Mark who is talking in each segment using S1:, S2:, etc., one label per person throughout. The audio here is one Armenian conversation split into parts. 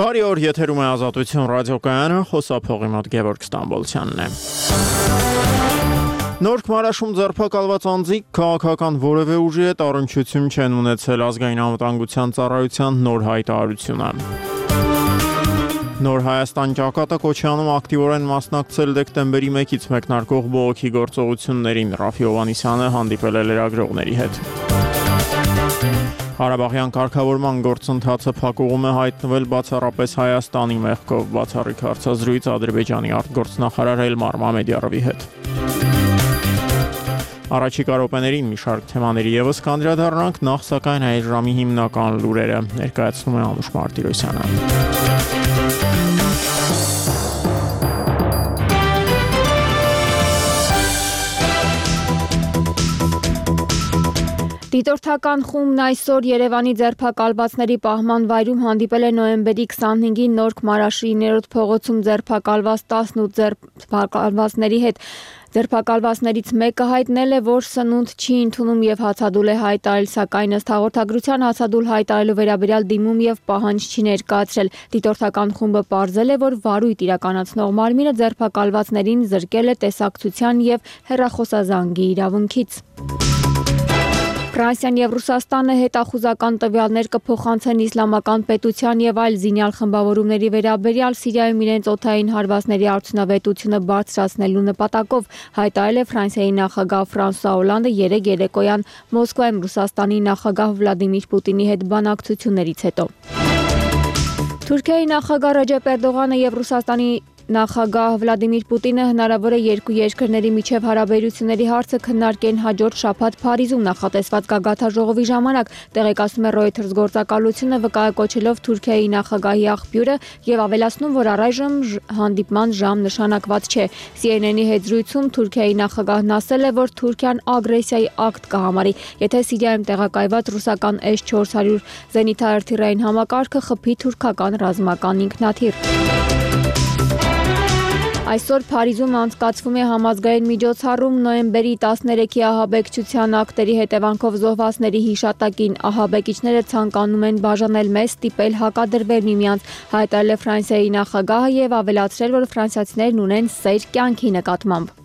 S1: Բարի օր, եթերում է Ազատություն ռադիոկայանը, խոսափողի մոտ Գևորգ Ստամբոլցյանն է։ Նոր Քմարաշում ձերբակալված անձիկ քաղաքական որևէ ուժի հետ առնչություն չեն ունեցել ազգային անվտանգության ծառայության նոր հայտարարությունը։ Նոր Հայաստան ճակատը Քոչյանում ակտիվորեն մասնակցել դեկտեմբերի 1-ից մեկնարկող բողոքի գործողություններին, Ռաֆի Հովհաննիսյանը հանդիպել է լրագրողների հետ։ Ղարաբաղյան կարգավորման գործընթացը փակուղում է հայտնվել բացառապես Հայաստանի մեղքով, բացառիկ հարցազրույց Ադրբեջանի արտգործնախարար Էլմար Մամեդյարովի հետ։ Առաջիկա րոպեներին մի շարք թեմաների ևս կանդրադառնանք, նախ սակայն այս ժամի հիմնական լուրերը ներկայացնում է Անուշ Մարտիրոսյանը։
S2: Դիտորդական խումբն այսօր Երևանի ձերբակալվածների պահման վայրում հանդիպել է նոյեմբերի 25-ին Նոր Քմարաշի 9-րդ փողոցում ձերբակալված 18 ձերբակալվածների հետ։ Ձերբակալվածներից մեկը հայտնել է, որ սնունդ չի ընդունում եւ հացադուլ է հայտարարել, սակայն ըստ հաղորդագրության հացադուլ հայտարարելու վերաբերյալ դիմում եւ պահանջ չի ներկայացրել։ Դիտորդական խումբը պարզել է, որ վարույթ իրականացնող մարմինը ձերբակալվածներին զրկել է տեսակցության եւ հեռախոսազանգի իրավունքից։ Ֆրանսիան եւ Ռուսաստանը հետախուզական տվյալներ կփոխանցեն իսլամական պետության եւ այլ զինյալ խմբավորումների վերաբերյալ Սիրիայում իրենց օդային հարվածների արդյունավետությունը բարձրացնելու նպատակով, հայտարարել է Ֆրանսիայի նախագահ Ֆրանսուଆ Օլանդը երեկոյան Մոսկվայում Ռուսաստանի նախագահ Վլադիմիր Պուտինի հետ բանակցություններից հետո։ Թուրքիայի նախագահ Ռեջեփ Էրդողանը եւ Ռուսաստանի նախագահ Վլադիմիր Պուտինը հնարավոր է երկու երկրների միջև հարաբերությունների հարցը քննարկեն հաջորդ շաբաթ Փարիզում նախատեսված գագաթաժողովի ժամանակ, տեղեկացնում է Reuters գործակալությունը, վկայակոչելով Թուրքիայի նախագահի աղբյուրը եւ ավելացնում, որ առայժմ հանդիպման ժամ նշանակված չէ։ CNN-ի հետ զրույցում Թուրքիայի նախագահն ասել է, որ Թուրքիան ագրեսիայի ակտ կհամարի, եթե Սիրիայում տեղակայված ռուսական S-400 զենիթաարթիլերային համակարգը խփի թուրքական ռազմական ինքնաթիռ։ Այսօր Փարիզում անցկացվում է համազգային միջոցառում նոյեմբերի 13-ի ահաբեկչության ակտերի հետևանքով զոհվածների հիշատակին։ Ահաբեկիչները ցանկանում են բաժանել մեզ, ստիպել հակադրվել միմյանց, հայտարարել է Ֆրանսիայի նախագահը եւ ավելացրել, որ ֆրանսիացիներն ունեն սեր կյանքի նկատմամբ։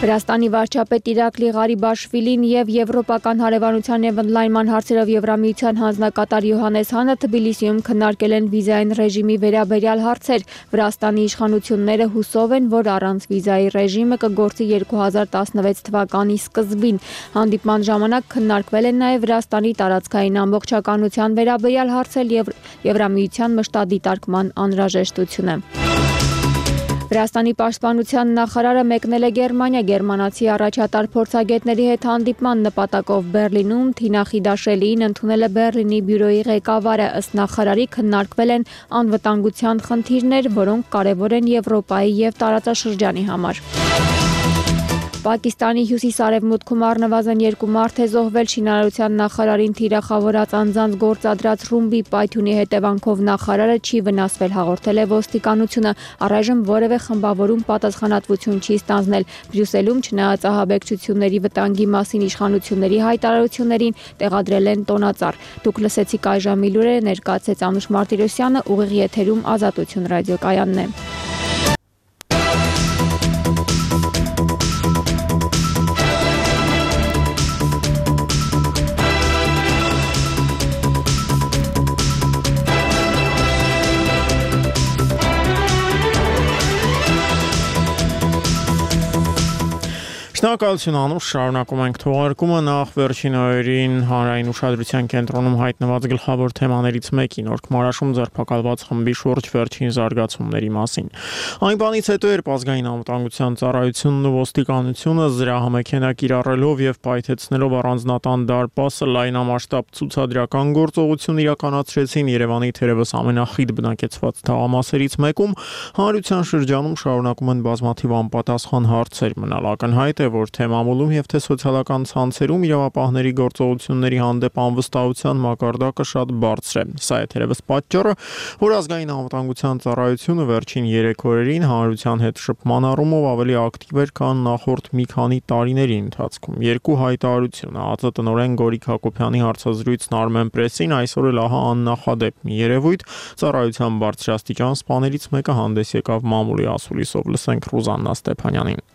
S2: Վրաստանի վարչապետ Իրակլի Ղարիբաշվիլին եւ Եվրոպական հարևանության եւ ընդլայնման հարցերով Եվրամիության հանձնակատար Յոհաննես Հանը Թբիլիսիում քննարկել են վիզային ռեժիմի վերաբերյալ հարցեր։ Վրաստանի իշխանությունները հուսով են, որ առանց վիզայի ռեժիմը կգործի 2016 թվականի սկզբին։ Հանդիպման ժամանակ քննարկվել են նաեւ Վրաստանի տարածքային ամբողջականության վերաբերյալ հարցեր եւ Եվրամիության մշտադիտարկման անհրաժեշտությունը։ Վրաստանի պաշտպանության նախարարը մեկնել է Գերմանիա գերմանացի առաջատար փորձագետների հետ հանդիպման նպատակով Բերլինում Թինա Խիդաշելին ընդունել է Բերլինի բյուրոյի ղեկավարը, ըստ նախարարի քննարկվել են անվտանգության խնդիրներ, որոնք կարևոր են Եվրոպայի եւ տարածաշրջանի համար։ Պակիստանի հյուսիս-արևմուտքում առնվազն 2 մարդ է զոհվել շինարարության նախարարին թիրախավորած անձանց գործադրած ռումբի պայթյունի հետևանքով նախարարը չի վնասվել, հաղորդել է ոստիկանությունը, առայժմ որևէ խմբավորում պատասխանատվություն չի ստանձնել։ Բրյուսելում չնայած ահաբեկչությունների վտանգի մասին իշխանությունների հայտարարություններին տեղադրել են տոնածառ։ Դուք լսեցիք այժմի լուրերը, ներկայացրեց Անուշ Մարտիրոսյանը, ուղիղ եթերում Ազատություն ռադիոկայանն է։
S1: Շնորհակալություն Անուշ, շարունակում ենք թողարկումը, նախ վերջին օրերին հանրային ուշադրության կենտրոնում հայտնված գլխավոր թեմաներից մեկի Նոր Քմարաշում ձերբակալված խմբի շուրջ վերջին զարգացումների մասին։ Այն բանից հետո, երբ ազգային անվտանգության ծառայությունն ու ոստիկանությունը զրահամեքենա կիրառելով եւ պայթեցնելով առանձնատան դարպասը լայնամասշտաբ ցուցադրական գործողություն իրականացրեցին Երևանի թերևս ամենախիտ բնակեցված թաղամասերից մեկում, հանրության շրջանում շարունակում են բազմաթիվ անպատասխան հարցեր մնալ ակնհայտ է, որ թե մամուլում եւ թե սոցիալական ցանցերում իրավապահների գործողությունների հանդեպ անվստահության մակարդակը շատ բարձր է։ Սա է թերևս պատճառը, որ ազգային անվտանգության ծառայությունը վերջին 3 օրերին հանրության հետ շփման առումով ավելի ակտիվ էր, քան նախորդ մի քանի տարիների ընթացքում։ Երկու հայտարարություն ԱԱԾ տնօրեն Գորիկ Հակոբյանի հարցազրույցն Armen Press-ին այսօր էլ ահա աննախադեպ մի երևույթ ծառայության բարձրաստիճան սպաներից մեկը հանդես եկավ մամուլի ասուլիսով։ Լսենք Ռուզաննա Ստեփանյանին։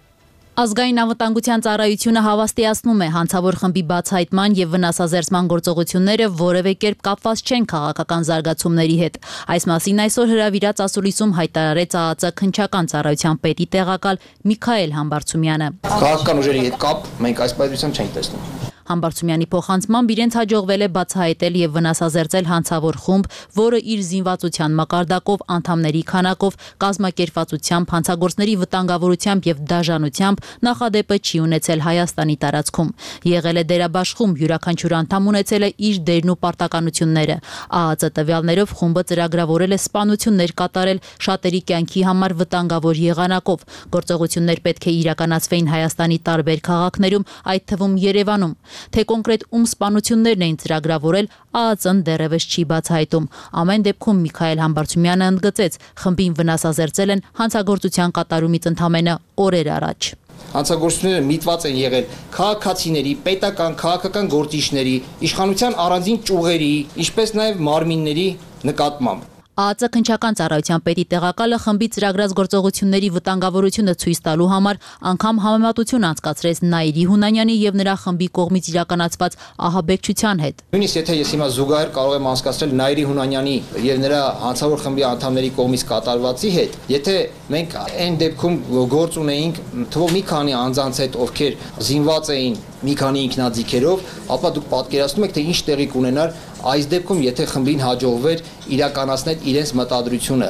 S3: Ազգային անվտանգության ծառայությունը հավաստիացնում է հանցավոր խմբի բացահայտման եւ վնասազերծման գործողությունները որևէ կերպ կապված չեն քաղաքական զարգացումների հետ։ Այս մասին այսօր հրավիրած ասուլիսում հայտարարեց ԱԱԾ քննչական ծառայության պետի տեղակալ Միքայել Համբարձումյանը։
S4: Քաղաքական ուժերի հետ կապ մենք այս պայծառությամբ չենք տեսնում։
S3: Համբարձումյանի փոխանցմամբ իրենց հաջողվել է բացահայտել եւ վնասազերծել հանցավոր խումբ, որը իր զինվածության մակարդակով, անդամների քանակով, կազմակերպվածությամբ, հանցագործների վտանգավորությամբ եւ դաժանությամբ նախադեպը չի ունեցել Հայաստանի տարածքում։ Եղել է դերաբաշխում, յուրաքանչյուր անդամ ունեցել է իր դերն ու պարտականությունները։ ԱԱԾ տվյալներով խումբը ծրագրավորել է սպանություններ կատարել շատերի կյանքի համար վտանգավոր եղանակով։ Գործողություններ պետք է իրականացվեին Հայաստանի տարբեր քաղաքներում, այդ թվում Երևանում։ Թե կոնկրետ ում սպանություններն էին ծրագրավորել, ԱԱԾ-ն դեռևս չի բացահայտում։ Ամեն դեպքում Միքայել Համբարձումյանը ընդգծեց, խմբին վնասազերծել են հանցագործության կատարումից ընդամենը օրեր առաջ։
S4: Հանցագործությունները միտված են եղել քաղաքացիների, պետական, քաղաքական գործիչների, իշխանության առանձին ճյուղերի, ինչպես նաև մարմինների նկատմամբ։
S3: ԱԱԾ քննչական ծառայության պետի տեղակալը խմբի ծրագրած գործողությունների վտանգավորությունը ցույց տալու համար անգամ համեմատություն անցկացրեց Նաիրի Հունանյանի եւ նրա խմբի կողմից իրականացված ահաբեկչության հետ։
S4: Նույնիսկ եթե ես հիմա զուգահեռ կարող եմ անցկացնել Նաիրի Հունանյանի եւ նրա հանցավոր խմբի անդամների կողմից կատարվածի հետ, եթե մենք այն դեպքում գործ ունեինք թվով մի քանի անձանց հետ, ովքեր զինված էին մի քանի ինքնաձիգերով, ապա դուք պատկերացնում եք, թե ինչ տեղի կունենար այս դեպքում, եթե խմբին հաջողվեր իրականացնել իրենց մտադրությունը,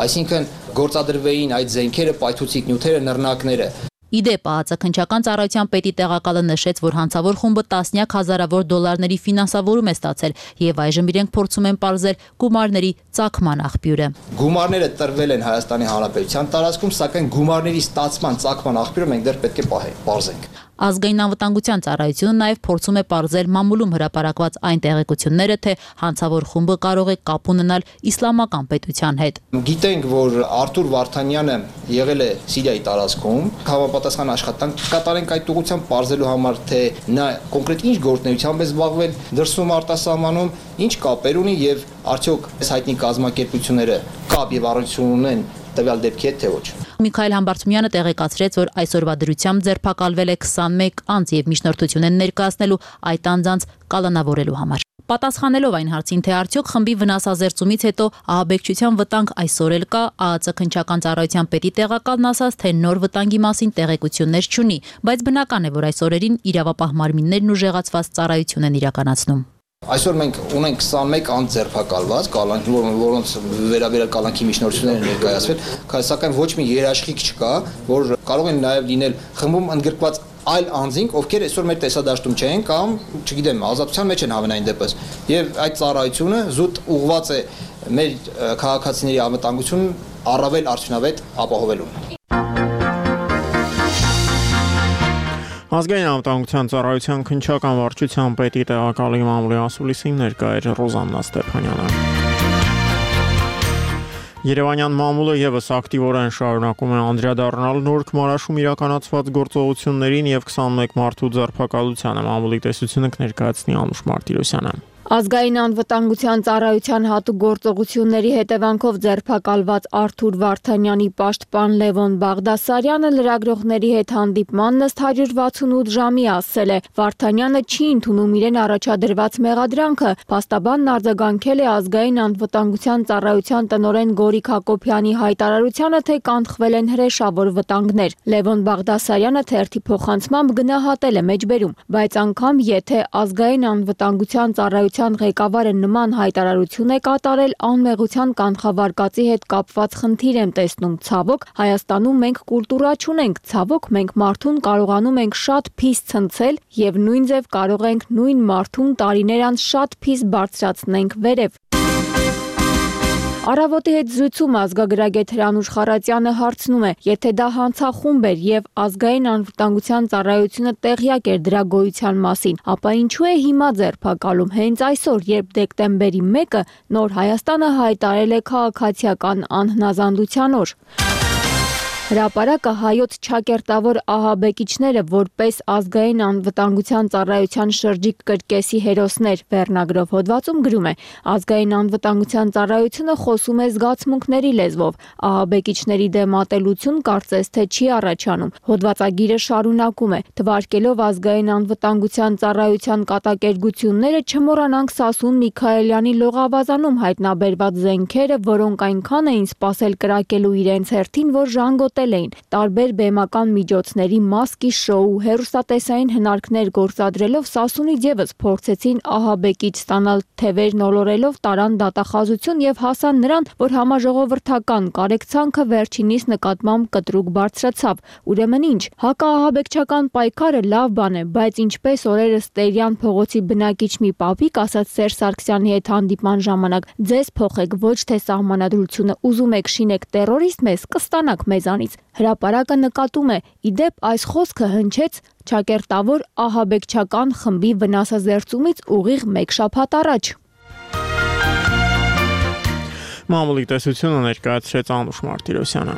S4: այսինքն գործադրվեին այդ զենքերը, պայթուցիկ նյութերը, նռնակները։
S3: Իդեպ ԱԱԾ քննչական ծառայության պետի տեղակալը նշեց, որ հանցավոր խումբը տասնյակ հազարավոր դոլարների ֆինանսավորում է ստացել եւ այժմ իրենք փորձում են պարզել գումարների ծագման աղբյուրը։
S4: Գումարները տրվել են Հայաստանի Հանրապետության տարածքում, սակայն գումարների ստացման ծագման աղբյուրը մենք դեռ պետք է պարզենք։
S3: Ազգային անվտանգության ծառայությունը նաև փորձում է պարզել մամուլում հրապարակված այն տեղեկությունները, թե հանցավոր խումբը կարող է կապ ունենալ իսլամական պետության հետ։
S4: Գիտենք, որ Արթուր Վարդանյանը եղել է Սիրիայի տարածքում, համապատասխան աշխատանք կատարենք այդ ուղղությամբ պարզելու համար, թե նա կոնկրետ ինչ գործունեությամբ է զբաղվել դրսում արտասահմանում, ինչ կապեր ունի եւ արդյոք այս հայտնի կազմակերպությունները կապ եւ առնչություն ունեն տվյալ դեպքի հետ թե ոչ։
S3: Միքայել Համբարձումյանը տեղեկացրեց, որ այսօրվա դրությամբ ձերբակալվել է 21 անձ եւ միջնորդություն են ներկայացնելու այդ անձանց կալանավորելու համար։ Պատասխանելով այն հարցին, թե արդյոք խմբի վնասազերծումից հետո ահաբեկչության վտանգ այսօր էլ կա, ԱԱԾ քննչական ծառայության պետի տեղակալն ասաց, թե նոր վտանգի մասին տեղեկություններ չունի, բայց բնական է, որ այս օրերին իրավապահ մարմիններն ուժեղացված ծառայություն են իրականացնում։
S4: Այսօր մենք ունենք 21 անձ ձերբակալված, որոնց վերաբերյալ կալանքի միջնորդություններ են ներկայացվել, սակայն ոչ մի երաշխիք չկա, որ կարող են նաև լինել խմբում ընդգրկված այլ անձինք, ովքեր այսօր մեր տեսադաշտում չեն կամ, չգիտեմ, ազատության մեջ են հավենային դեպս։ Եվ այդ ծառայությունը զուտ ուղղված է մեր քաղաքացիների անվտանգությունն առավել արդյունավետ ապահովելուն։
S1: Ազգային անվտանգության ծառայության քննչական վարչության պետի տեղակալի մամուլի ասուլիսին ներկա էր Ռոզաննա Ստեփանյանը։ Երևանյան մամուլը եւս ակտիվորեն շարունակում է անդրադառնալ Նորք Մարաշում իրականացված գործողություններին եւ 21 մարդու ձերբակալությանը։ Մամուլի տեսությունը կներկայացնի Անուշ Մարտիրոսյանը։
S2: Ազգային անվտանգության ծառայության հատուկ գործողությունների հետևանքով ձերբակալված Արթուր Վարդանյանի պաշտպան Լևոն Բաղդասարյանը լրագրողների հետ հանդիպման ըստ 168 ժամի ասել է. Վարդանյանը չի ընդունում իրեն առաջադրված մեղադրանքը, փաստաբանն արձագանքել է ազգային անվտանգության ծառայության տնօրեն Գորիկ Հակոբյանի հայտարարությանը, թե կանխվել են հրեշավոր վտանգներ։ Լևոն Բաղդասարյանը թերթի փոխանցմամբ գնահատել է մեջբերում, բայց անգամ եթե ազգային անվտանգության ծառայության ղեկավարը նման հայտարարություն է կատարել, անմեղության կանխավարկածի հետ կապված խնդիր եմ տեսնում։ Ցավոք, Հայաստանում մենք կուլտուրա չունենք, ցավոք մենք մարդուն կարողանում ենք շատ փիս ցնցել եւ նույն ձև կարող ենք նույն մարդուն տարիներ անց շատ փիս բարձրացնենք վերև։ Առավոտի հետ զրույցում ազգագրագետ Հրանուշ Խառատյանը հարցնում է, եթե դա հանցախումբ էր եւ ազգային անվտանգության ծառայությունը տեղյակ էր դրա գոյության մասին, ապա ինչու է հիմա ձերբակալում հենց այսօր, երբ դեկտեմբերի 1-ը Նոր Հայաստանը հայտարարել է քաղաքացիական անհնազանդության օր։ Հրապարակը հայոց չակերտավոր ահաբեկիչները որպես ազգային անվտանգության ծառայության շրջիկ կրկեսի հերոսներ վերնագրով հոդվածում գրում է. ազգային անվտանգության ծառայությունը խոսում է զգացմունքների լեզվով, ահաբեկիչների դեմ ատելություն կարծես թե չի առաջանում։ Հոդվածագիրը շարունակում է. թվարկելով ազգային անվտանգության ծառայության կատակերգությունները չմոռանանք Սասուն Միքայելյանի լողավազանում հայտնաբերված զենքերը, որոնք այնքան էին սպասել կրակելու իրենց հերթին, որ ժանգոտել տարբեր բեմական միջոցների մասկի շոու հեռուստատեսային հնարքներ գործադրելով Սասունից ևս փորձեցին ահաբեկիչ ստանալ թևեր նոլորելով տարան դատախազություն եւ հասան նրան, որ համաժողովրդական կարեկցանքը վերջինիս նկատմամբ կտրուկ բարձրացավ։ Ուրեմն ինչ, հակաահաբեկչական պայքարը լավ բան է, բայց ինչպես օրերս Տերյան փողոցի բնակիչ մի պապիկ ասաց Սերժ Սարգսյանի հետ հանդիպման ժամանակ, ձեզ փոխեք ոչ թե սահմանադրությունը, ուզում եք շինեք տերորիստ մեզ, կստանաք մեզանից։ Հրապարակը նկատում է, իդեպ այս խոսքը հնչեց չակերտավոր ահաբեկչական խմբի վնասազերծումից ուղիղ մեկ շաբաթ առաջ։
S1: Մամուլի տեսությունը ներկայացրեց Անուշ Մարտիրոսյանը։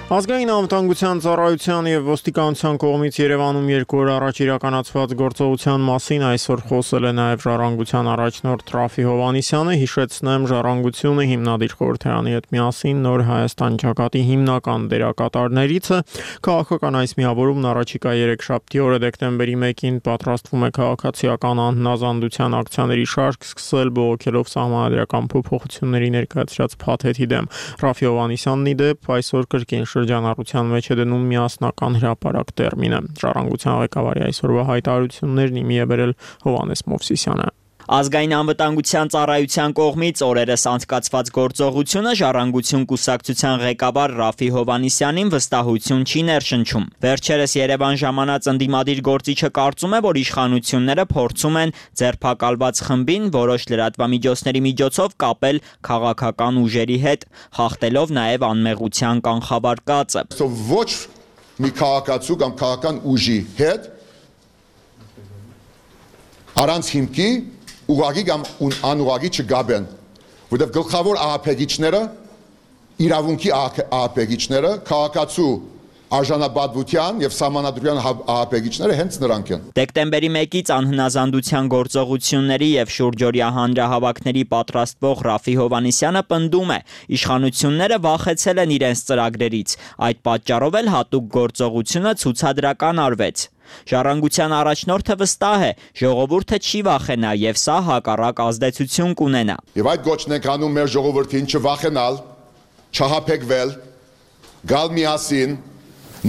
S1: Ազգային անվտանգության ծառայության եւ ոստիկանության կողմից Երևանում 2 օր առաջ իրականացված գործողության մասին այսօր խոսել է նաեւ Ժառանգության առաջնորդ Ռաֆի Հովհաննիսյանը, հիշեցնեմ, Ժառանգությունը հիմնադիր խորհրդարանի հետ միասին Նոր Հայաստան ճակատի հիմնական դերակատարներից է։ Քաղաքական այս միավորումն առաջիկա 3-շաբթի օրը դեկտեմբերի 1-ին պատրաստվում է քաղաքացիական անհնազանդության ակցիաների շարք սկսել բողոքելով սահմանադրական փոփոխությունների ներկայացրած փաթեթի դեմ։ Ռաֆի Հովհաննիսյանն ի դեպ այսօր կրկին շրջանառության մեջ է դնում միասնական հրապարակ տերմինը։ Ժառանգության ղեկավարի այսօրվա հայտարարություններն իմի է բերել Հովհաննես Մովսիսյանը։
S5: Ազգային անվտանգության ծառայության կողմից օրերս անցկացված գործողությունը Ժառանգություն կուսակցության ղեկավար Ռաֆի Հովհաննիսյանին վստահություն չի ներշնչում։ Վերջերս Երևան ժամանած ընդդիմադիր գործիչը կարծում է, որ իշխանությունները փորձում են ձերբակալված խմբին որոշ լրատվամիջոցների միջոցով կապել քաղաքական ուժերի հետ, խախտելով նաև անմեղության կանխավարկածը։
S6: Ոչ մի քաղաքացու կամ քաղաքական ուժի հետ առանց հիմքի ուղղակի կամ անուղղակի չգաբեն, որտեղ գլխավոր ահաբեկիչները, իրավունքի ահաբեկիչները, քաղաքացու արժանապատվության եւ սահմանադրության ահաբեկիչները հենց նրանք են։
S5: Դեկտեմբերի 1-ից անհնազանդության գործողությունների եւ շուրջօրյա հանրահավաքների պատրաստվող Ռաֆի Հովհաննիսյանը պնդում է, իշխանությունները վախեցել են իրենց ծրագրերից, այդ պատճառով էլ հատուկ գործողությունը ցուցադրական արվեց։ Ժառանգության առաջնորդը վստահ է, ժողովուրդը չի վախենա եւ սա հակառակ ազդեցություն կունենա։
S6: Եվ այդ գոչն ենք անում մեր ժողովրդին չվախենալ, չհապեկվել, գալ միասին,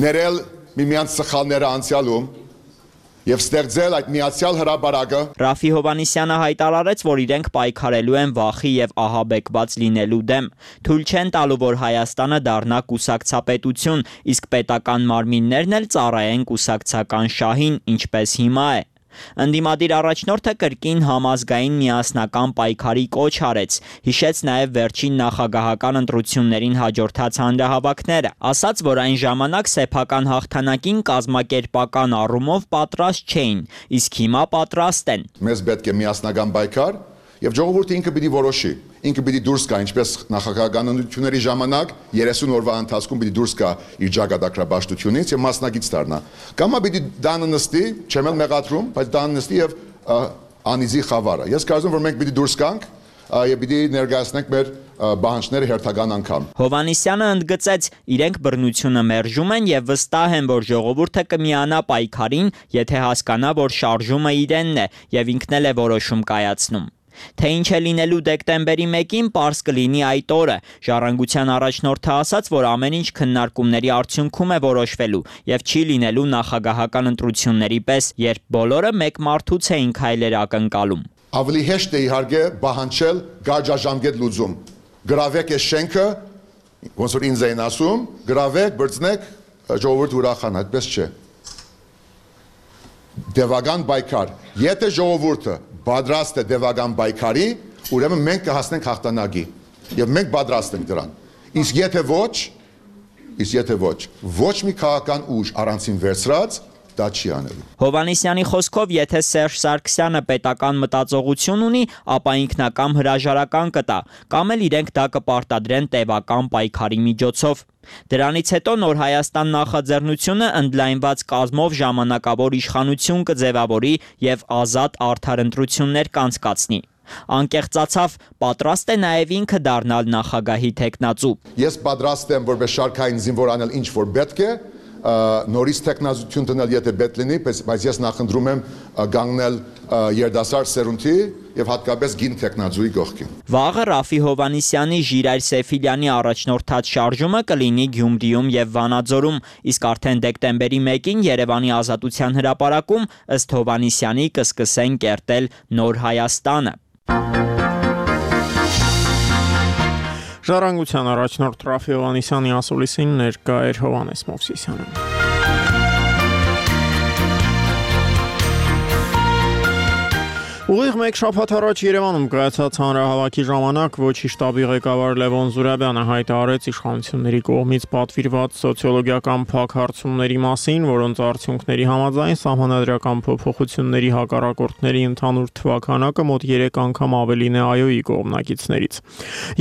S6: ներել միմյանց սխալները անցյալում եւ ստեղծել այդ միացյալ հրապարակը։
S5: Ռաֆի Հովհաննիսյանը հայտարարեց, որ իրենք պայքարելու են վախի եւ ահաբեկված լինելու դեմ։ Թույլ չեն տալու, որ Հայաստանը դառնա կուսակցապետություն, իսկ պետական մարմիններն էլ ծառայեն կուսակցական շահին, ինչպես հիմա է։ Ընդդիմադիր առաջնորդը կրկին համազգային միասնական պայքարի կոչ արեց, հիշեց նաև վերջին նախագահական ընտրություններին հաջորդած հանրահավաքները, ասաց, որ այն ժամանակ սեփական հաղթանակին կազմակերպական առումով պատրաստ չէին, իսկ հիմա պատրաստ են։
S6: Մեզ պետք է միասնական պայքար եւ ժողովուրդը ինքը պիտի որոշի, ինքը պիտի դուրս գա, ինչպես նախագահական ընտրությունների ժամանակ 30 օրվա ընթացքում պիտի դուրս գա իր ճակատագրաբաշխությունից եւ մասնակից դառնա։ Կամա պիտի դանը նստի, չեմ էլ մեղադրում, բայց դանը նստի եւ անիզի խավարը։ Ես կարծում որ մենք պիտի դուրս գանք եւ պիտի ներկայացնենք մեր բանջները հերթական անգամ։
S5: Հովհաննիսյանը ընդգծեց, իրենք բռնությունը մերժում են եւ վստահ են, որ ժողովուրդը կմիանա պայքարին, եթե հասկանա, որ շարժումը իրենն է եւ ինքն էլ է որոշում կայացնում։ Թե ինչ է լինելու դեկտեմբերի 1-ին պարզ կլինի այդ օրը։ Ժառանգության առաջնորդը ասաց, որ ամեն ինչ քննարկումների արդյունքում է որոշվելու եւ չի լինելու նախագահական ընտրությունների պես, երբ բոլորը մեկ մարդուց էին քայլեր ակնկալում։
S6: Ավելի հեշտ է իհարկե պահանջել գարաժամկետ լուծում։ Գրավեք այս շենքը, ոնց որ ինձ էին ասում, գրավեք, բրցնեք, ժողովուրդ ուրախանա, այդպես չէ։ դևական պայքար։ Եթե ժողովուրդը պատրաստ է դևական պայքարի, ուրեմն մենք կհասնենք հաղթանակի։ Եվ մենք պատրաստ ենք դրան։ Իսկ եթե ոչ մի քաղաքական ուժ առանցին վերցրած, դա չի անելու։
S5: Հովհաննիսյանի խոսքով, եթե Սերժ Սարգսյանը պետական մտածողություն ունի, ապա ինքնակամ հրաժարական կտա, կամ էլ իրենք դա կպարտադրեն տևական պայքարի միջոցով։ Դրանից հետո Նոր Հայաստան նախաձեռնությունը ընդլայնված կազմով ժամանակավոր իշխանություն կձևավորի եւ ազատ արդար ընտրություններ կանցկացնի։ Անկեղծացավ, պատրաստ է նաև ինքը դառնալ նախագահի թեկնածու։
S6: Ես պատրաստ եմ որպես շարքային զինվոր անել ինչ որ պետք է, նորից տեխնազություն դնել եթե պետք լինի, բայց ես նախընտրում եմ գանգնել երդասարդ սերունդի եւ հատկապես գին տեխնազուի կողքին։
S5: Վաղը Ռաֆի Հովհաննիսյանի Ժիրայր Սեֆիլյանի առաջնորդած շարժումը կլինի Գյումրիում եւ Վանաձորում, իսկ արդեն դեկտեմբերի 1-ին Երևանի Ազատության հրապարակում ըստ Հովհաննիսյանի կսկսեն կերտել Նոր Հայաստանը։
S1: Ժառանգության առաջնորդ Ռաֆի Հովհաննիսյանի ասուլիսին ներկա էր Հովհաննես Մովսիսյանը։ Ուղիղ մեկ շաբաթ առաջ Երևանում կայացած հանրահավաքի ժամանակ Ոչի շտաբի ղեկավար Լևոն Զուրաբյանը հայտարարեց իշխանությունների կողմից պատվիրված սոցիոլոգիական փակ հարցումների մասին, որոնց արդյունքների համաձայն սահմանադրական փոփոխությունների հակառակորդների ընդհանուր թվաքանակը մոտ 3 անգամ ավելին է ԱՅՈ-ի կողմնակիցներից։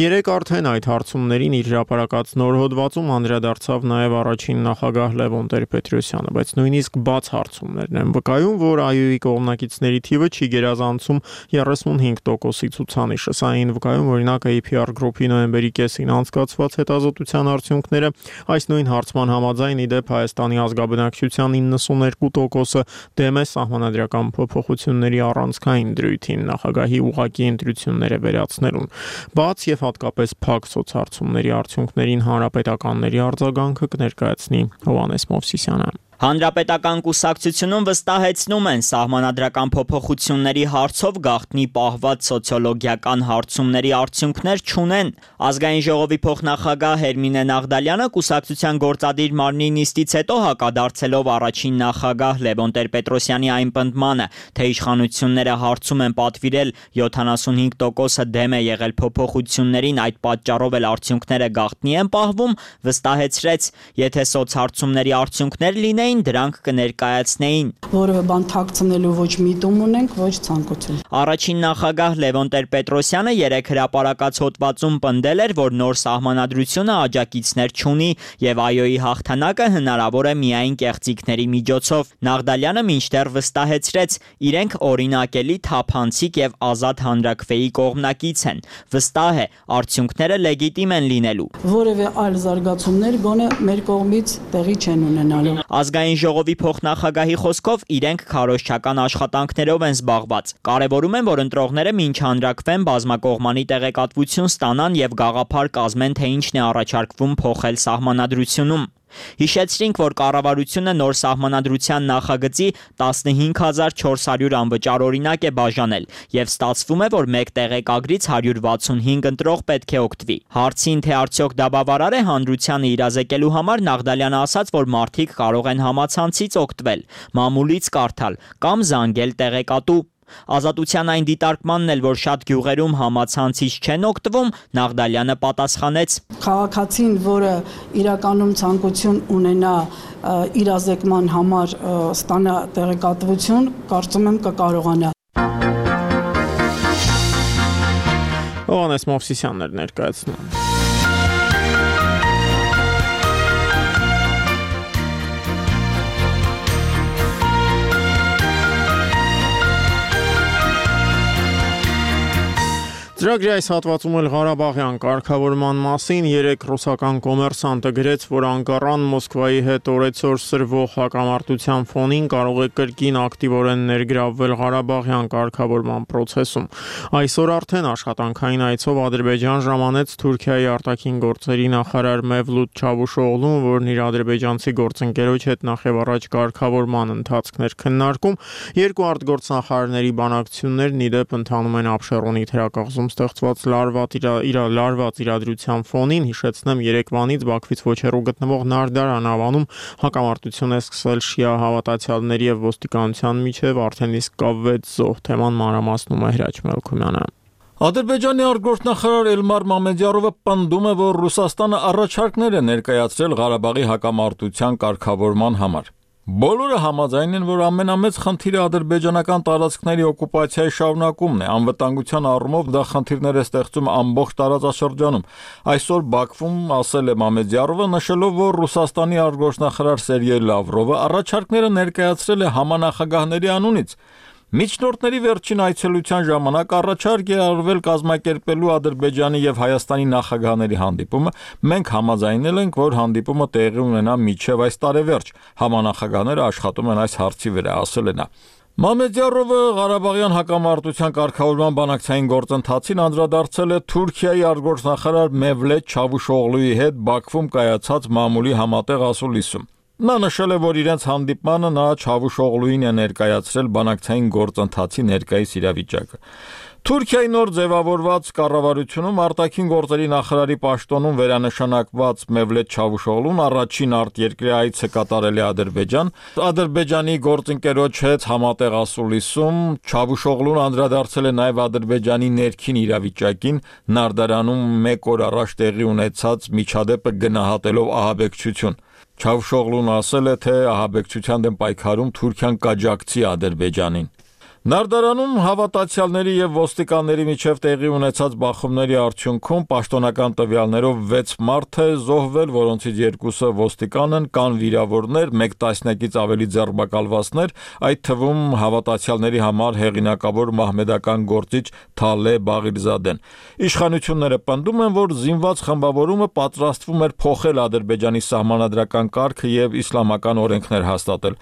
S1: Երեկ արդեն այդ հարցումներին իր հրապարակած նոր հոդվածում անդրադարձավ նաև առաջին նախագահ Լևոն Տեր-Պետրոսյանը, բայց նույնիսկ բաց հարցումներն են վկայում, որ ԱՅՈ-ի կողմնակիցների թիվը չի գերազանցում 35%-ի ցուցանիշը։ Սա այն վկայում օրինակ APR Group-ի նոյեմբերի կեսին անցկացված հետազոտության արդյունքները, այս նույն հարցման համաձայն իդեպ Հայաստանի ազգաբնակչության 92%-ը դեմ է սահմանադրական փոփոխությունների առանցքային դրույթին նախագահի ուղղակի ընտրությունները վերացնելուն։ Բաց եւ հատկապես փակ սոցհարցումների արդյունքներին հանրապետականների արձագանքը կներկայացնի Հովհաննես Մովսիսյանը։
S5: Հանրապետական կուսակցությունում վստահեցնում են սահմանադրական փոփոխությունների հարցով գաղտնի պահված սոցիոլոգիական հարցումների արդյունքներ չունեն։ Ազգային ժողովի փոխնախագահ Հերմինե Նաղդալյանը կուսակցության գործադիր մարմնի նիստից հետո հակադարձելով առաջին նախագահ Լևոն Տեր-Պետրոսյանի այն պնդմանը, թե իշխանությունները հարցում են պատվիրել 75%-ը դեմ է եղել փոփոխություններին, այդ պատճառով էլ արդյունքները գաղտնի են պահվում, վստահեցրեց, եթե սոցհարցումների արդյունքներ լինեն դրանք կներկայացնեին։
S7: Որևէ բան թաքցնելու ոչ միտում ունենք, ոչ ցանկություն։
S5: Առաջին նախագահ Լևոն Տեր-Պետրոսյանը երեք հրապարակած հոդվածում պնդել էր, որ նոր սահմանադրությունը աջակիցներ չունի եւ ԱՅՈ-ի հաղթանակը հնարավոր է միայն կեղծիքների միջոցով։ Նաղդալյանը մինչդեռ վստահեցրեց, իրենք օրինակելի, թափանցիկ եւ ազատ հանրաքվեի կողմնակից են։ Վստահ է, արդյունքները լեգիտիմ են լինելու։
S7: Որևէ այլ զարգացումներ գոնե մեր կողմից տեղի չեն ունենալու։
S5: Ազգային ժողովի փոխնախագահի խոսքով իրենք քարոզչական աշխատանքներով են զբաղված։ Կարևորում են, որ ընտրողները մինչ հանրաքվեն բազմակողմանի տեղեկատվություն ստանան եւ գաղափար կազմեն, թե ինչն է առաջարկվում փոխել սահմանադրությունում։ Հիշեցրինք, որ կառավարությունը նոր սահմանադրության նախագծի 15400 անվճար օրինակ է բաժանել եւ ստացվում է, որ մեկ տեղեկագրից 165 ընտրող պետք է օգտվի։ Հարցին, թե արդյոք դա բավարար է հանրությանը իրազեկելու համար, Նաղդալյանը ասաց, որ մարդիկ կարող են համացանցից օգտվել, մամուլից կարդալ կամ զանգել տեղեկատու։ Ազատության այն դիտարկմանն էլ, որ շատ գյուղերում համացանցից չեն օգտվում, Նաղդալյանը պատասխանեց.
S7: Քաղաքացին, որը իրականում ցանկություն ունենա իրազեկման համար ստանա տեղեկատվություն, կարծում եմ կկարողանա։
S1: Հովհաննես Մովսիսյանն էր ներկայացնում։ Ծրագրի այս հատվածում էլ Ղարաբաղյան կարգավորման մասին երեք ռուսական կոմերսանտը գրեց, որ Անկարան Մոսկվայի հետ օրեցօր սրվող հակամարտության ֆոնին կարող է կրկին ակտիվորեն ներգրավվել Ղարաբաղյան կարգավորման process-ում։ Այսօր արդեն աշխատանքային այցով Ադրբեջան ժամանեց Թուրքիայի արտաքին գործերի նախարար Մևլութ Չավուշօղլուն, որն իր ադրբեջանցի գործընկերոջ հետ նախևառաջ կարգավորման ընթացքներ քննարկում։ Երկու արտգործնախարարների բանակցություններն ի դեպ ընթանում են Աբշերոնի թերակղզում ստեղծված լարված իրադրության ֆոնին հիշեցնեմ Երևանից Բաքվից ոչ հեռու գտնվող Նարդարան ավանում հակամարտություն է սկսել շիա հավատացյալների եւ ոստիկանության միջև արդեն իսկ կա 6 զոհ թեման մանրամասնում է Հրաչ Մելքումյանը
S8: Ադրբեջանի արտգործնախարար Էլմար Մամեդյարովը պնդում է, որ Ռուսաստանը առաջարկներ է ներկայացրել Ղարաբաղի հակամարտության կարգավորման համար։ Բոլորը համաձայն են, որ ամենամեծ խնդիրը ադրբեջանական տարածքների օկուպացիայի շարունակումն է, անվտանգության առումով դա խնդիրներ է ստեղծում ամբողջ տարածաշրջանում։ Այսօր Բաքվում ասել է Մամեդյարովը, նշելով, որ Ռուսաստանի արտգործնախարար Սերգեյ Լավրովը առաջարկները ներկայացրել է համանախագահների անունից։ Միջնորդների վերջին այցելության ժամանակ առաջարկ է արվել կազմակերպելու Ադրբեջանի եւ Հայաստանի նախագահների հանդիպումը։ Մենք համաձայնել ենք, որ հանդիպումը տեղի ունենա մինչև այս տարեվերջ։ Համանախագահները աշխատում են այս հարցի վրա, ասել է նա։ Մամեդյարովը Ղարաբաղյան հակամարտության կարգավորման բանակցային գործընթացին անդրադարձել է Թուրքիայի արտգործնախարար Մևլեթ Չավուշօղլուի հետ Բաքվում կայացած մամուլի համատեղ ասուլիսում։ Նա նշել է, որ իրենց հանդիպմանը նա Չավուշօղլուին է ներկայացրել բանակցային գործընթացի ներկայիս իրավիճակը։ Թուրքիայի նոր ձևավորված կառավարությունում արտաքին գործերի նախարարի պաշտոնում վերանշանակված Մևլեթ Չավուշօղլուն առաջին արտերկրի այցը կատարել է Ադրբեջան։ Ադրբեջանի գործընկերոջ հետ համատեղ ասուլիսում Չավուշօղլուն անդրադարձել է նաև Ադրբեջանի ներքին իրավիճակին, Նարդարանում 1 օր առաջ տեղի ունեցած միջադեպը գնահատելով ահաբեկչություն։ Չավուշօղլուն ասել է, թե ահաբեկչության դեմ պայքարում Թուրքիան կաջակցի Ադրբեջանին։ Նարդարանում հավատացյալների եւ ոստիկանների միջև տեղի ունեցած բախումների արդյունքում պաշտոնական տվյալներով 6 մարդ է զոհվել, որոնցից 2-ը ոստիկան են, կան վիրավորներ, 1 տասնյակից ավելի ձերբակալվածներ, այդ թվում հավատացյալների համար հեղինակավոր մահմեդական գործիչ Թալե Բաղիրզադեն։ Իշխանությունները պնդում են, որ զինված խմբավորումը պատրաստվում էր փոխել Ադրբեջանի սահմանադրական կարգը եւ իսլամական օրենքներ հաստատել։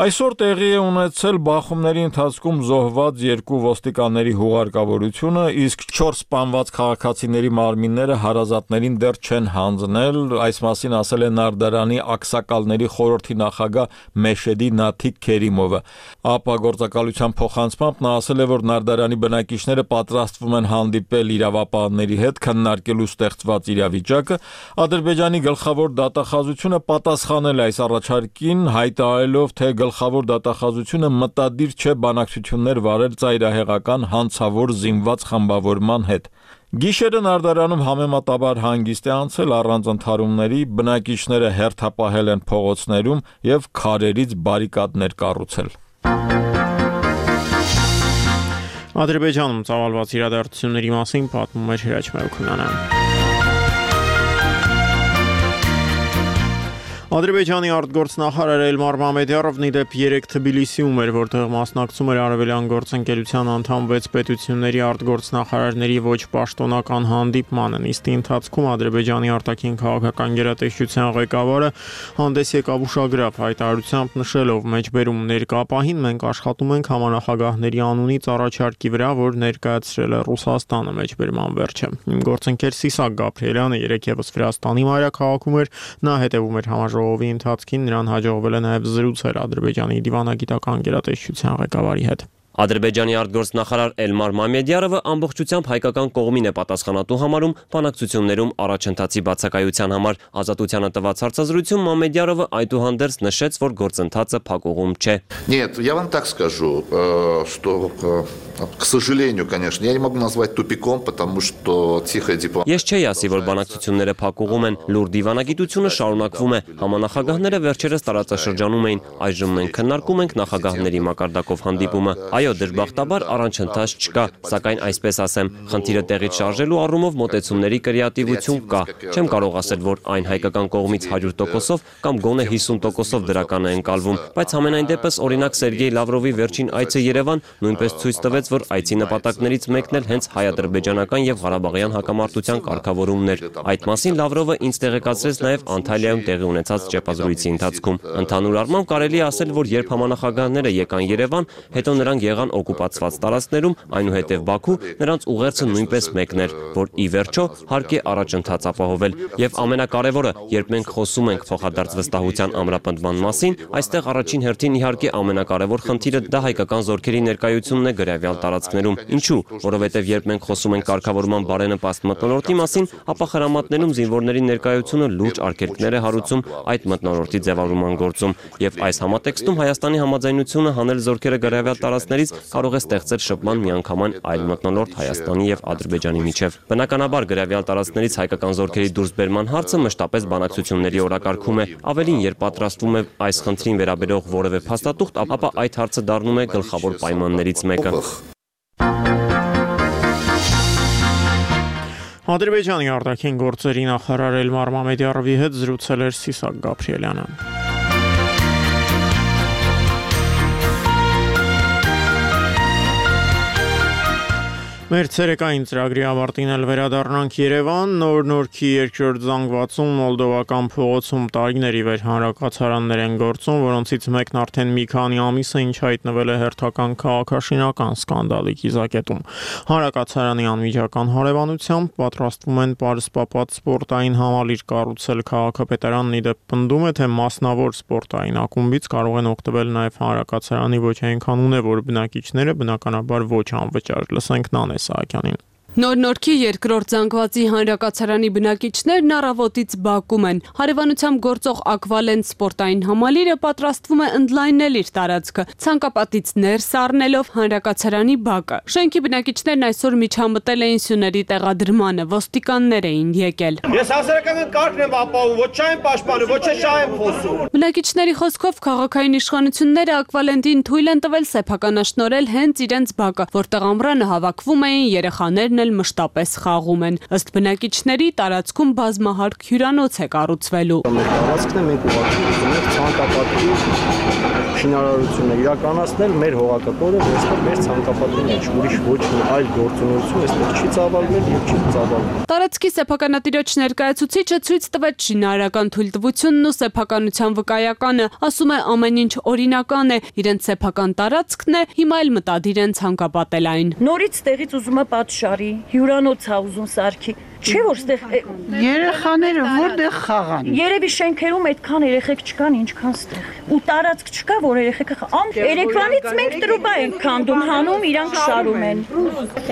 S8: Այսօր տեղի է ունեցել բախումների ընթացքում զոհված 2 ոստիկանների հուղարկավորությունը, իսկ 4 սպանված քաղաքացիների մարմինները հարազատներին դեռ չեն հանձնել, այս մասին ասել է Նարդարանի ակսակալների խորհրդի նախագահ Մեշեդի Նաթիկ Քերիմովը։ ԱՊԱ գործակալության փոխանցմամբ նա ասել է, որ Նարդարանի բնակիչները պատրաստվում են հանդիպել իրավապահների հետ քննարկելու ստեղծված իրավիճակը։ Ադրբեջանի գլխավոր դատախազությունը պատասխանել է այս առաջարկին, հայտարարելով, թե գլխավոր դատախազությունը մտադիր չէ բանակցություններ վարել ծայրահեղական հանցավոր զինված խմբավորման հետ։ Գիշերը Նարդարանում համեմատաբար հանգիստ է անցել առանց ընդհարումների, բնակիչները հերթապահել են փողոցներում եւ քարերից բարիկադներ կառուցել։
S1: Ադրբեջանում ծավալված իրադարձությունների մասին պատմում էր Հրաչ Մելքումյանը։ Ադրբեջանի արտգործնախարար Էլմար Մամեդյարովն իդեպ 3 Թբիլիսիում էր, որտեղ մասնակցում էր Արևելյան գործընկերության անդամ 6 պետությունների արտգործնախարարների ոչ պաշտոնական հանդիպմանը։ Նիստի ընթացքում Ադրբեջանի արտաքին քաղաքական գերատեսչության ղեկավարը հանդես եկավ ուշագրավ հայտարարությամբ նշելով մեջբերում ներկա պահին մենք աշխատում ենք համանախագահների անունից առաջարկի վրա, որ ներկայացրել է Ռուսաստանը մեջբերման վերջը։ Իմ գործընկեր Սիսակ Գաբրիելյանը երեքևս Վրաստանի մայրաքաղաքում էր, նա հետևում էր Ժողովի ընթացքին նրան հաջողվել է նաև զրուցել Ադրբեջանի դիվանագիտական գերատեսչության ղեկավարի հետ։
S9: Ադրբեջանի արտգործնախարար Էլմար Մամեդյարովը ամբողջությամբ հայկական կողմին է պատասխանատու համարում բանակցություններում առաջընթացի բացակայության համար։ Ազատությանը տված հարցազրույցում Մամեդյարովը այդուհանդերձ նշեց, որ գործընթացը փակուղում չէ։
S10: Нет, я вам так скажу, что, к сожалению, конечно, я не могу назвать тупиком, потому что тихая дипломатия.
S9: Ես չէի ասի, որ բանակցությունները փակուղում են, լուր դիվանագիտությունը շարունակվում է։ Համանախագահները վերջերս տարածաշրջանում էին, այժմ մենք քննարկում ենք նախագահների մակարդակով հանդիպումը։ Այո, դժբախտաբար առանցընթաց չկա, սակայն այսպես ասեմ, խնդիրը տեղից շարժելու առումով մոտեցումների կրեատիվություն կա։ Չեմ կարող ասել, որ այն հայկական կողմից 100%-ով կամ գոնե 50%-ով դրական է ընկալվում, բայց համենայն դեպս օրինակ Սերգեյ Լավրովի վերջին այցը Երևան նույնպես ցույց տվեց, որ այցի նպատակներից մեկն էլ հենց հայ-ադրբեջանական եւ ղարաբաղյան հակամարտության կարգավորումն էր։ Այդ մասին Լավրովը ինձ տեղեկացրեց նաեւ Անտալիայում տեղի ունեցած ճեպազրույցի ընթացքում։ Ընդհանուր առմամբ կարելի է ասել, որ երբ համանախագահները եկան Երևան, հետո նրանք եղան օկուպացված տարածքներում, այնուհետև Բաքու, նրանց ուղերձը նույնպես մեկն էր, որ ի վերջո հարկ է առաջընթաց ապահովել։ Եվ ամենակարևորը, երբ մենք խոսում ենք փոխադարձ վստահության ամրապնդման մասին, այստեղ առաջին հերթին իհարկե ամենակարևոր խնդիրը դա հայկական զորքերի ներկայությունն է գրավյալ տարածքներում։ Ինչու՞, որովհետև երբ մենք խոսում ենք կարգավորման բարենպաստ մթնոլորտի մասին, ապա խրամատներում զինվորների ներկայությունը լուրջ արգելքներ է հարուցում այդ մթնոլորտի ձևավորման գործում, եւ այս համատեքստում Հայաստանի համաձայնությունը հանել զորքերը գրավյալ տարածքներից կարող է ստեղծել շփման միանգամայն այլ մթնոլորտ Հայաստանի եւ Ադրբեջանի միջև։ Բնականաբար գրավյալ տարածքներից հայկական զորքերի դուրսբերման հարցը մշտապես բանակցությունների օրակարգում է։ Ավելին, երբ պատրաստվում է այս խնդրին վերաբերող որևէ փաստաթուղթ, ապա այդ հարցը դառնում է գլխավոր պայմաններից մեկը։
S1: Ադրբեջանի արտաքին գործերի նախարար Էլմար Մամեդյարովի հետ զրուցել էր Սիսակ Գաբրիելյանը։ Մեր ցերեկային ծրագրի ավարտին էլ վերադառնանք Երևան, Նոր-Նորքի երկրորդ զանգվածում մոլդովական փողոցում տարիների վեր հանրակացարաններ են գործում, որոնցից մեկն արդեն մի քանի ամիս է, ինչ հայտնվել է հերթական քաղաքաշինական սկանդալի կիզակետում։ Հանրակացարանի անմիջական հարևանությամբ պատրաստվում են պարսպապատ սպորտային համալիր կառուցել քաղաքապետարանն ի դեպ պնդում է, թե մասնավոր սպորտային ակումբից կարող են օգտվել նաև հանրակացարանի ոչ այնքան ունևոր բնակիչները, բնականաբար ոչ անվճար։ Լսենք Նանե Սահակյանին։
S11: Նոր-Նորքի երկրորդ զանգվածի հանրակացարանի բնակիչներն առավոտից բակում են։ Հարևանությամբ գործող Ակվալենտ սպորտային համալիրը պատրաստվում է ընդլայնել իր տարածքը, ցանկապատից ներս առնելով հանրակացարանի բակը։ Շենքի բնակիչներն այսօր միջամտել էին սյուների տեղադրմանը, ոստիկաններ էին եկել։
S12: Ես հասարակական կարգն եմ ապահովում, ոչ չայեմ պաշտպանում, ոչ շահ եմ խոսում։
S11: Բնակիչների խոսքով քաղաքային իշխանությունները Ակվալենտին թույլ են տվել սեփականաշնորհել հենց իրենց բակը, որտեղ ամռանը հավաքվում էին երեխաներն մշտապես խաղում են։ Ըստ բնակիչների տարածքում բազմահարկ հյուրանոց է կառուցվելու։
S13: Մեր տարածքն է, մենք ուղղակի ուզում ենք ցանկապատի շինարարությունը իրականացնել մեր հողակտորը, որովհետև մեր ցանկապատի մեջ ուրիշ ոչ մի այլ գործունեություն այստեղ չի ծավալվել եւ չի ծավալվում։
S11: Տարածքի սեփականատիրոջ ներկայացուցիչը ցույց տվեց շինարարական թույլտվությունն ու սեփականության վկայականը, ասում է ամեն ինչ օրինական է, իրենց սեփական տարածքն է, հիմա էլ մտադիր են ցանկապատել այն։
S14: Նորից տեղից ուզում է պատշարի, հյուրանոց է ուզում սարքի։ Չէ՞ որ ստեղ
S15: երեխաները որտեղ խաղան։
S14: Երևի շենքերում այդքան երեխեք չկան, ինչքան ստեղ։ Ու տարածք չկա, որ երեխեքը երեկվանից մենք տրուբա ենք քանդում, հանում, իրանք շարում են։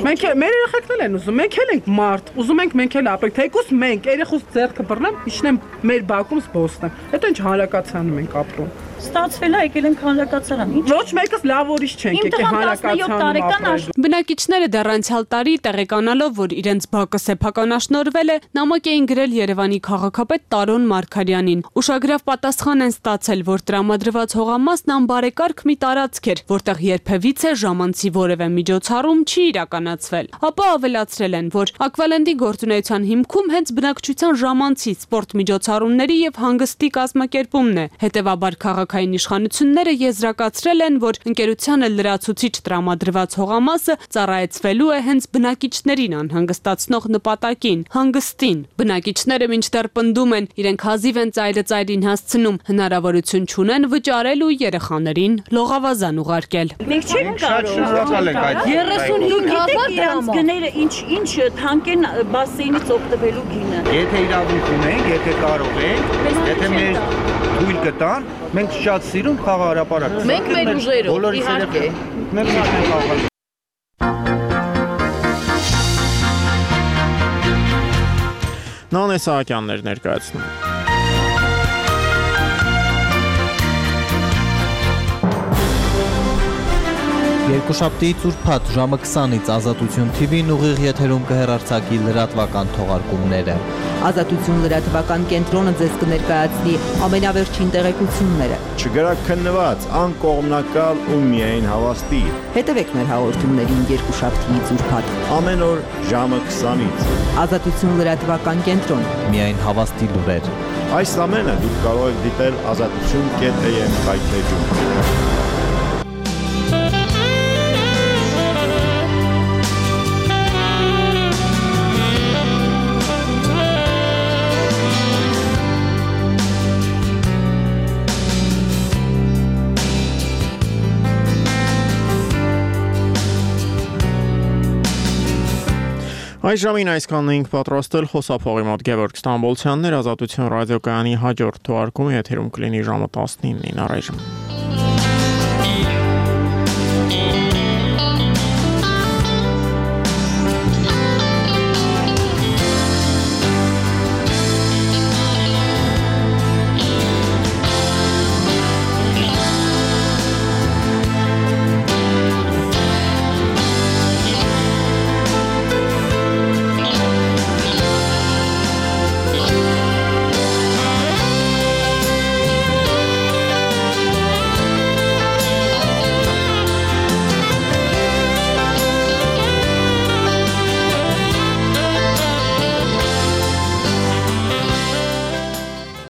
S15: Մենք մեր երեխեքն են ուզում, մենք էլ ենք մարդ, ուզում ենք մենք էլ ապրենք, թեկուզ մենք երեխուց ձեռքը բռնեմ, իջնեմ մեր բակում զբոսնեմ։ Հետո ինչ հանրակացարանում ենք ապրում։
S14: Ստացվել է եկել ենք հանրակացարան։
S15: Ոչ մեկս լավ ուրիշ չենք եկել հանրակացարանում։
S11: Բնակիչները դեռ անցյալ տարի տեղեկանալով, որ իրենց բակը սեփականաշնորհվել է, նամակ էին գրել Երևանի քաղաքապետ Տարոն Մարգարյանին։ Ուշագրավ պատասխան են ստացել, որ տրամադրված հողամասն անբարեկարգ մի տարածք էր, որտեղ երբևիցե ժամանցի որևէ միջոցառում չի իրականացվել։ Ապա ավելացրել են, որ Ակվալենտի գործունեության հիմքում հենց բնակչության ժամանցի, սպորտ միջոցառումների եւ հանգստի կազմակերպումն է։ Հետևաբար քաղաքային իշխանությունները եզրակացրել են, որ ընկերությանը լրացուցիչ տրամադրված հողամասը ծառայեցվելու է հենց բնակիչներին անհանգստացնող նպատակին՝ հանգստին։ Բնակիչները մինչդեռ պնդում են, իրենք հազիվ են ծայրը ծայրին հասցնում, հնարավորություն չունեն վճարելու երեխաներին լողավազան ուղարկել։
S14: Մենք չենք կարող 35,000 դրանց գները ինչ թանկեն բասեյնից օգտվելու գինը։
S12: Եթե իրավունք ունենք, եթե կարող ենք, եթե մեր թույլ կտան, մենք շատ սիրում խաղահարապարակ։
S14: Մենք մեր ուժերով, իհարկե։
S12: Մենք չենք խաղալ։
S1: Նանե Սահակյաններ ներկայացնում։
S16: Երկուշաբթիից ուրբաթ ժամը 20-ից Ազատություն TV-ն ուղիղ եթերում կհեռարձակի լրատվական թողարկումները։
S17: Ազատություն լրատվական կենտրոնը ձեզ կներկայացնի ամենավերջին տեղեկությունները։
S18: Չգրակ քննված, անկողմնակալ ու միայն հավաստի։
S17: Հետևեք մեր հաղորդումներին երկուշաբթիից ուրբաթ։
S18: Ամեն օր ժամը 20-ից։
S17: Ազատություն լրատվական կենտրոն։
S16: Միայն հավաստի լուրեր։
S18: Այս ամենը դուք կարող եք դիտել azatutun.am հայթեջում։
S1: Այս ժամին այսքանն էինք պատրաստել խոսափողի մոտ Գևորգ Ստամբոլցյանն էր, Ազատություն ռադիոկայանի հաջորդ թողարկումը եթերում կլինի ժամը 19-ին առայժմ։